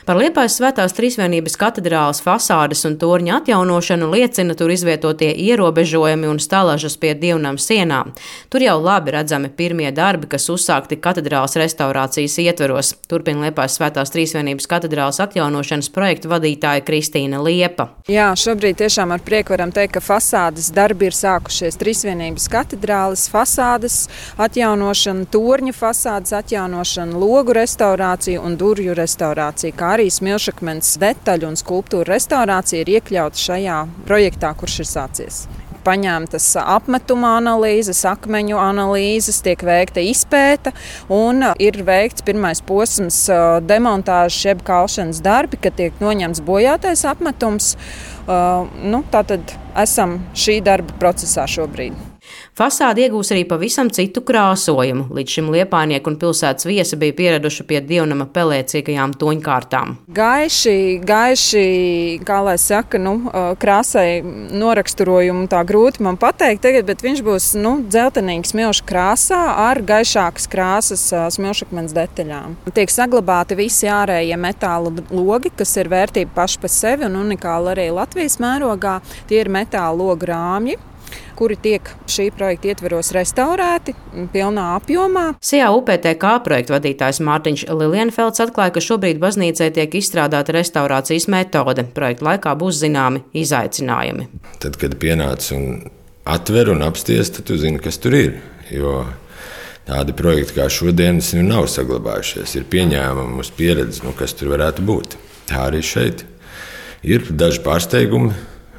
Par Liepājas Svētās Trīsvienības katedrāles fasādes un torņa atjaunošanu liecina tur izvietotie ierobežojumi un stalažas pie dievnam sienām. Tur jau labi redzami pirmie darbi, kas uzsākti katedrāles restaurācijas ietveros. Turpina Liepājas Svētās Trīsvienības katedrāles atjaunošanas projektu vadītāja Kristīna Liepa. Jā, šobrīd tiešām ar prieku varam teikt, ka fasādes darbi ir sākušies. Trīsvienības katedrāles fasādes atjaunošana, torņa fasādes atjaunošana, logu restaurācija un durvju restaurācija, kā arī smilšakmens detaļu un skulptūru restaurācija ir iekļauta šajā projektā, kurš ir sācies. Paņemtas apmetuma analīzes, akmeņu analīzes, tiek veikta izpēta un ir veikts pirmais posms demontāžas jeb kalšanas darbi, kad tiek noņemts bojātais apmetums. Tātad esam šī darba procesā šobrīd. Fasāde iegūs arī pavisam citu krāsojumu. Līdz šim liepājnieki un pilsētas viesi bija pieraduši pie dievnama pelēcīgajām toņkārtām. Gaiši, kā lai saka, krāsai noraksturojumu tā grūti man pateikt tagad, bet viņš būs dzeltenīgs smilšu krāsā ar gaišākas krāsas smilšakmens detaļām. Tiek saglabāti visi ārējie metāla logi, kas ir vērtība paši par sevi un unikāli arī Latvijas mērogā. Tie ir metāla logu rāmji, kuri tiek šī projekta ietveros restaurēti pilnā apjomā. SIA UPTK projekta vadītājs Mārtiņš Lilienfelds atklāja, ka šobrīd baznīcai tiek izstrādāta restaurācijas metode. Projekta laikā būs zināmi izaicinājumi. Tad, kad pienāc un atver un apsties, tad tu zini, kas tur ir. Jo tādi projekti kā šodienas nav saglabājušies. Ir pieņēmumi uz pieredzi, kas tur varētu būt. Tā arī šeit ir daži pārsteigumi,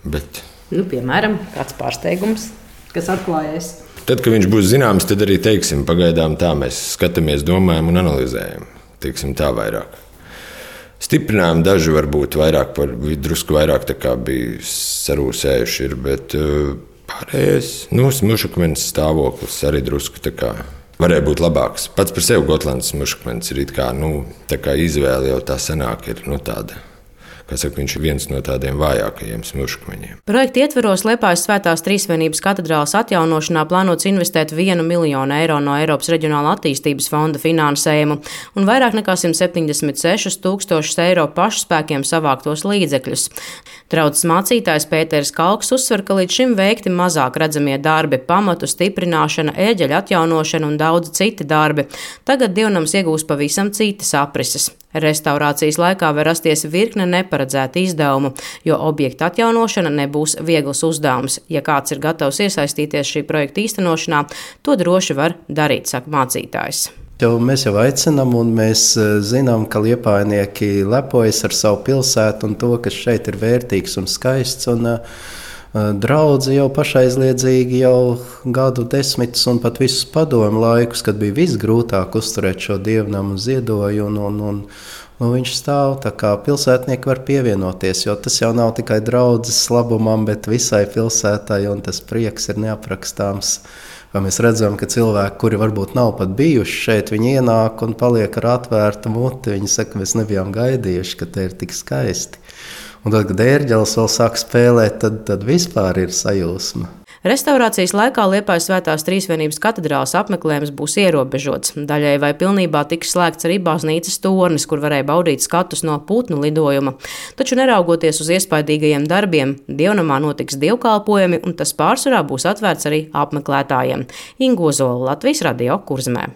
bet piemēram, kāds pārsteigums, kas atklājies? Tad, kad viņš būs zināms, tad arī teiksim, pagaidām tā mēs skatāmies, domājam un analizējam. Teiksim tā vairāk. Stiprinājumi daži varbūt vairāk, drusku vairāk tā kā bija sarūsējuši, bet pārējais, smilšakmens stāvoklis arī drusku tā kā varēja būt labāks. Pats par sevi Gotlandes smilšakmens ir tā kā izvēle jau tā sanāk ir tāda. Viņš ir viens no tādiem vājākajiem smilšakmeņiem. Projekta ietveros Liepājas Svētās Trīsvienības katedrāles atjaunošanā plānots investēt 1 miljonu eiro no Eiropas Reģionāla attīstības fonda finansējumu un vairāk nekā 176 000 eiro pašspēkiem savāktos līdzekļus. Draudzes mācītājs Pēteris Kalks uzsver, ka līdz šim veikti mazāk redzamie darbi, pamatu stiprināšana, ērģeļa atjaunošana un daudz citi darbi. Tagad dievnams iegūs pavisam citas aprises. Restaurācijas laikā var rasties virkne neparedzētu izdevumu, jo objekta atjaunošana nebūs viegls uzdevums. Ja kāds ir gatavs iesaistīties šī projekta īstenošanā, to droši var darīt, saka mācītājs. Mēs jau aicinām, un mēs zinām, ka liepājnieki lepojas ar savu pilsētu un to, kas šeit ir vērtīgs un skaists. Draudze jau pašaizliedzīgi jau gadu desmitus un pat visus padomu laikus, kad bija visgrūtāk uzturēt šo dievnamu ziedoju, un viņš stāv, tā kā pilsētnieki var pievienoties, jo tas jau nav tikai draudzes labumam, bet visai pilsētai, un tas prieks ir neaprakstāms. Vai mēs redzam, ka cilvēki, kuri varbūt nav pat bijuši šeit, viņi ienāk un paliek ar atvērtu muti. Viņi saka, mēs nebijām gaidījuši, ka te ir tik skaisti. Un tad, kad ērģelis vēl sāk spēlēt, tad vispār ir sajūsma. Restaurācijas laikā Liepājas Svētās Trīsvienības katedrāles apmeklējums būs ierobežots. Daļai vai pilnībā tiks slēgts arī baznīcas tornis, kur varēja baudīt skatus no putnu lidojuma. Taču neraugoties uz iespaidīgajiem darbiem, dievnamā notiks dievkalpojumi, un tas pārsvarā būs atvērts arī apmeklētājiem. Inga Ozola, Latvijas Radio, Kurzemē.